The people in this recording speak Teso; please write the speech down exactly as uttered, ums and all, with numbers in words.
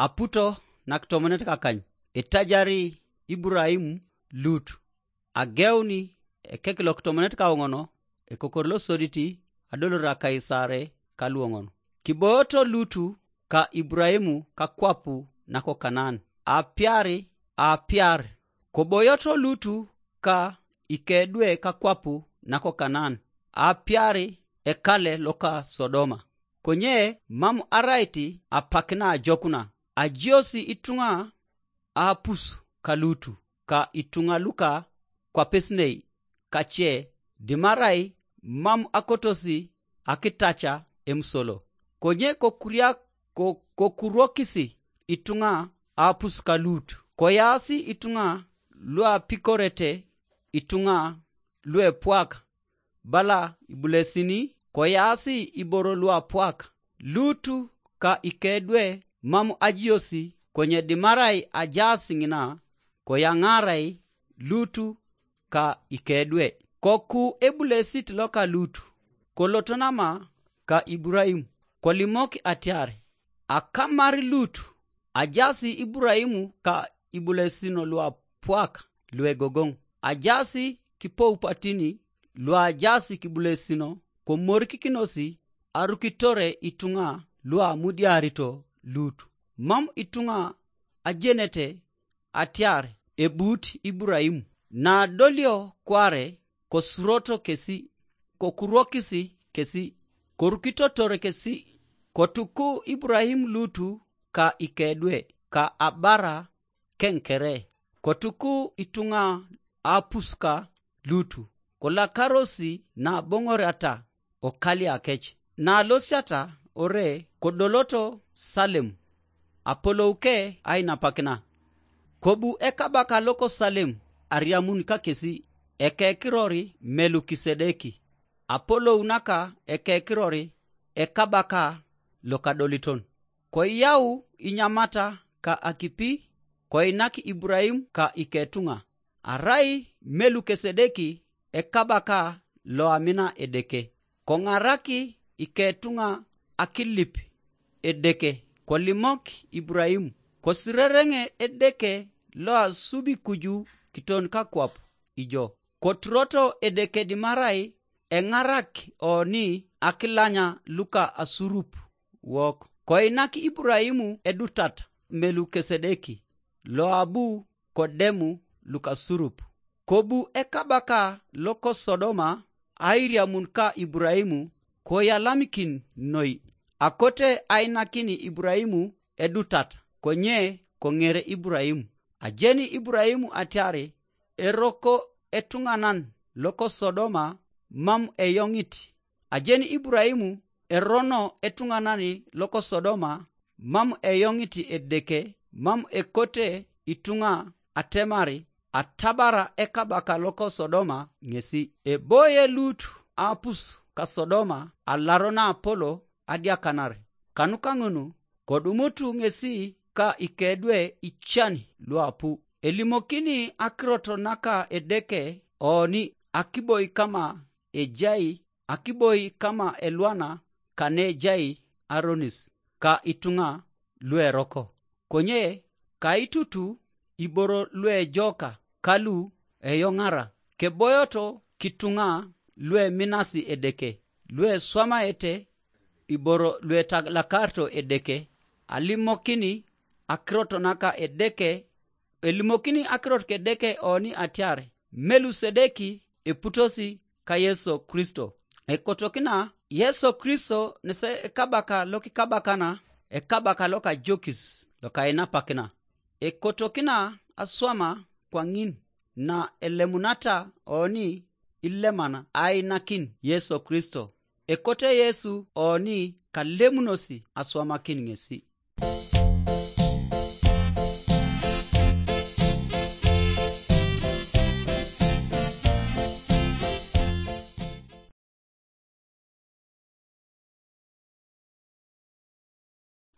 Aputo nakitomonet kakany, itajari Iburaimu Lut. Ageuni ekek lokitomonet kaoŋon, ekokor losodit, adolor akaisare kaluoŋon. Kiboyoto Lutu ka Iburaimu kakwapu nako Kanaan. Apiari, apiar, koboyoto Lutu ka ikedwe kakwapu nako Kanaan. Apiari ekale loka Sodoma. Konye mam araiti apak naajokuna, ajiosi ituŋa aapus ka Lutu, ka ituŋa luka kwapesinei kace, dimarai mam akotosi akitaca emusolo. Konye kokuriak ko-, kokurokisi ituŋa aapus ka Lut, koyaasi ituŋa luapikorete ituŋa luepwak, bala ibulesini, koyaasi iboro luapwak. Lutu ka ikedwe mam ajiosi, konye dimarai ajaas ŋina, koyaŋarai Lutu ka ikedwe. Koku ebulesit loka Lutu, koloto nama ka Iburaimu, kolimok atiar, akamar Lutu, ajaas Iburaimu ka ibulesino luapwak luegogoŋ, ajaas kipoupatini luajaas kibulesino, komorikikinosi arukitore ituŋa luamudiarito Lut. Mam ituŋa ajenete atiar ebut Iburaimu. Nadolio kware, kosuroto kesi, kokurokisi kesi, korukitotor kesi. Kotuku Iburaimu Lutu ka ikedwe, ka abara keŋ kere. Kotuku ituŋa apuska Lutu, kolakarosi naboŋoriata okaliakec. Nalosiata ore kodoloto Salem, apolouke ainapakina. Kobu ekabaka loko Salem ariamun kakesi ekekirori Melukisedeki, apolou naka ekekirori ekabaka lokadoliton. Koyau inyamata ka akipi, koinak Iburaimu ka iketuŋa. Arai Melukisedeki ekabaka loamina Edeke, koŋaraki iketuŋa akilip Edeke, kolimok Iburaimu, kosirereŋe Edeke loasubi kuju kiton kakwap ijo. Koturoto Edeke dimarai eŋarak oni akilanya luka asurup wok. Koinak Iburaimu edutat Melukisedeki, loabu kodemu lukasurup. Kobu ekabaka loko Sodoma airiamun ka Iburaimu, koyalamikin noi, akote ainakini Iburaimu edutat, konye koŋere Iburaimu. Ajeni Iburaimu atiar eroko etuŋanan loko Sodoma mam eyoŋit. Ajeni Iburaimu erono etuŋanan loko Sodoma mam eyoŋit Edeke, mam ekote ituŋa atemar atabara ekabaka loko Sodoma ŋesi. Eboye Lut apus ka Sodoma alaro na apolo adiakanar. Kanuka ŋun, kodumutu ŋesi ka ikedwe ican luapu. Elimokini akirot naka Edeke oni akiboi kama ejai, akiboi kama elwana kane ejai aronis ka ituŋa lueroko. Konye kaitutu iboro luejoka kalu eyoŋara, keboyoto kituŋa lueminasi Edeke, lueswamaete iboro luetalakarito Edeke, alimokini akirot naka Edeke, elimokini akirot ka Edeke oni atiar Melukisedeki eputosi ka Yesu Kristo. Ekotokina Yesu Kristo nese ekabaka lokikabakana, ekabaka lokajokis lokainapakina. Ekotokina aswama kwaŋin na elemunata oni ileman ainakin Yesu Kristo. Ekote Yesu oni kalemunosi aswamakin ŋesi.